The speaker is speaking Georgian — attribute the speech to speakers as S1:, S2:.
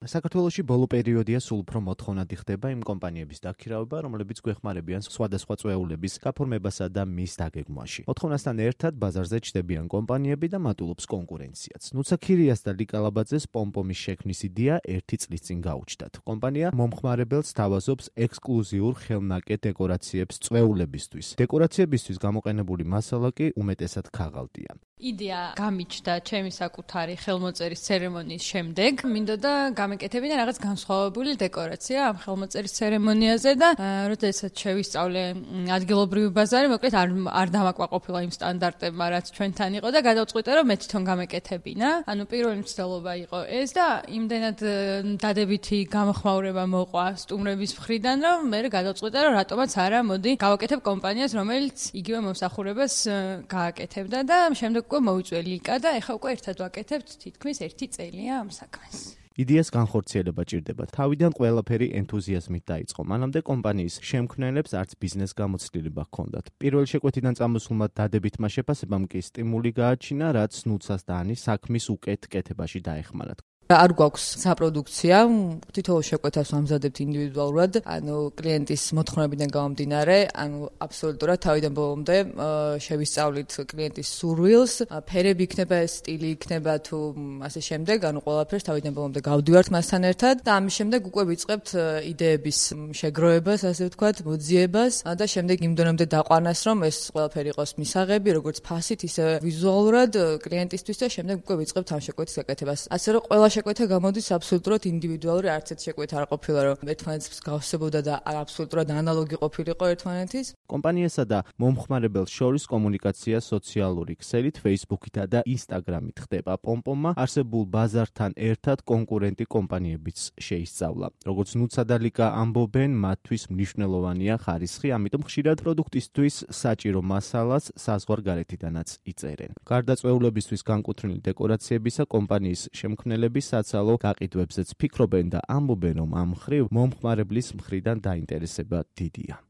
S1: საქართველოში ბოლო პერიოდია სულ უფრო მოთხოვნადი ხდება იმ კომპანიების დაქირავება, რომლებიც გვეხმარებიან სხვადასხვა წვეულების გაფორმებასა და მის დაგეგმვაში. მოთხოვნასთან ერთად ბაზარზე ჩნდებიან კომპანიები და მატულობს კონკურენციაც. ნუცა ქირიას და ლიკალაბაძეს პომპომის შექმნის იდეა 1 წლის წინ გაუჩნდათ. კომპანია მომხმარებელს თავაზობს ექსკლუზიურ ხელნაკეთ დეკორაციებს წვეულებისთვის. დეკორაციებისთვის გამოყენებული მასალა კი უმეტესად ქაღალდია.
S2: იდეა გამიჩნდა ჩემი საკუთარი ხელმოწერის ცერემონიის შემდეგ. მინდოდა გამეკეთებინა რაღაც განსხვავებული დეკორაცია ამ ხელმოწერის ცერემონიაზე და როდესაც შევისწავლე ადგილობრივი ბაზარი, მოკლედ არ დამაკმაყოფილა იმ სტანდარტებმა, რაც ჩვენთან იყო და გადავწყვიტე, რომ მე თვითონ გამეკეთებინა. ანუ პირველი მცდელობა იყო ეს და იმდენად დადებითი გამოხმაურება მოყვა სტუმრების მხრიდან, რომ მე გადავწყვიტე, რომ რატომაც არა, მოდი გავაკეთებ კომპანიას, რომელიც იგივე მომსახურებას გააკეთებდა და შემდეგ უკვე მოვიწვე ლიკა და ეხლა უკვე ერთად ვაკეთებთ თითქმის 1 წელია ამ საქმეს.
S1: იდეას განხორციელება ჭირდება. თავიდან ყველაფერი ენთუზიაზმით დაიწყო. მანამდე კომპანიის შემქმნელებს არც ბიზნეს გამოცდილება ჰქონდათ. პირველი შეკვეთიდან წამოსულმა დადებითმა შეფასებამ კი სტიმული გააჩინა, რაც ნუცას და ანის საქმის უკეთ კეთებაში დაეხმარათ.
S3: არ გვაქვს საპროდუქცია, თითოეულ შეკვეთას ვამზადებთ ინდივიდუალურად, ანუ კლიენტის მოთხოვნებიდან გამომდინარე, ანუ აბსოლუტურად თავიდან ბოლომდე შევისწავლით კლიენტის სურვილს, ფერები იქნება, სტილი იქნება თუ ასე შემდეგ, ანუ ყველაფერს თავიდან ბოლომდე გავდივართ მასთან ერთად და ამის შემდეგ უკვე ვიწყებთ იდეების შეგროვებას, ასე ვთქვათ, მოძიებას და შემდეგ იმ დონემდე დაყვანას, რომ ეს ყველაფერი იყოს მისაღები, როგორც ფასით, ისე ვიზუალურად კლიენტისთვის და შემდეგ უკვე ვიწყებთ ამ შეკვეთის გაკეთებას. ასე რომ ყველა შეკვეთა გამოდის აბსოლუტურად ინდივიდუალური, არც ერთ შეკვეთა არ ყოფილა, რომ ერთმანეთს გავსებოდა და აბსოლუტურად ანალოგი ყოფილიყო ერთმანეთის.
S1: კომპანიასა და მომხმარებელს შორის კომუნიკაცია სოციალური ქსელით, Facebook-ითა და Instagram-ით ხდება. პომპომმა არსებულ ბაზართან ერთად კონკურენტი კომპანიებიც შეისწავლა. როგორც ნუცა და ლიკა ამბობენ, მათთვის მნიშვნელოვანია ხარისხი, ამიტომ ხშირად პროდუქტისთვის საჭირო მასალას საზღვარგარეთიდანაც იწერენ. გარდა წვეულებისთვის განკუთვნილი დეკორაციებისა, კომპანიის შემქმნელები საცალო გაყიდვებზეც ფიქრობენ და ამბობენ, რომ ამ მხრივ მომხმარებლის მხრიდან დაინტერესება დიდია.